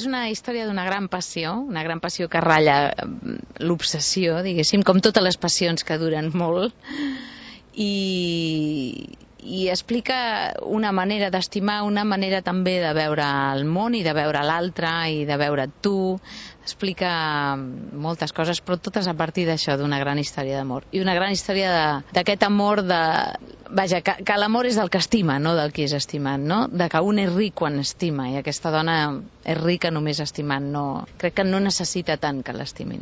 És una història d'una gran passió que ratlla l'obsessió, diguéssim, com totes les passions que duren molt, i explica una manera d'estimar, una manera també de veure el món i de veure l'altre i de veure tu. Explica moltes coses, però totes a partir d'això, d'una gran història d'amor. I una gran història d'aquest amor Vaja, que l'amor és del que estima, no del qui és estimat, no? De que un és ric quan estima, i aquesta dona és rica només estimant, no. Crec que no necessita tant que l'estimin.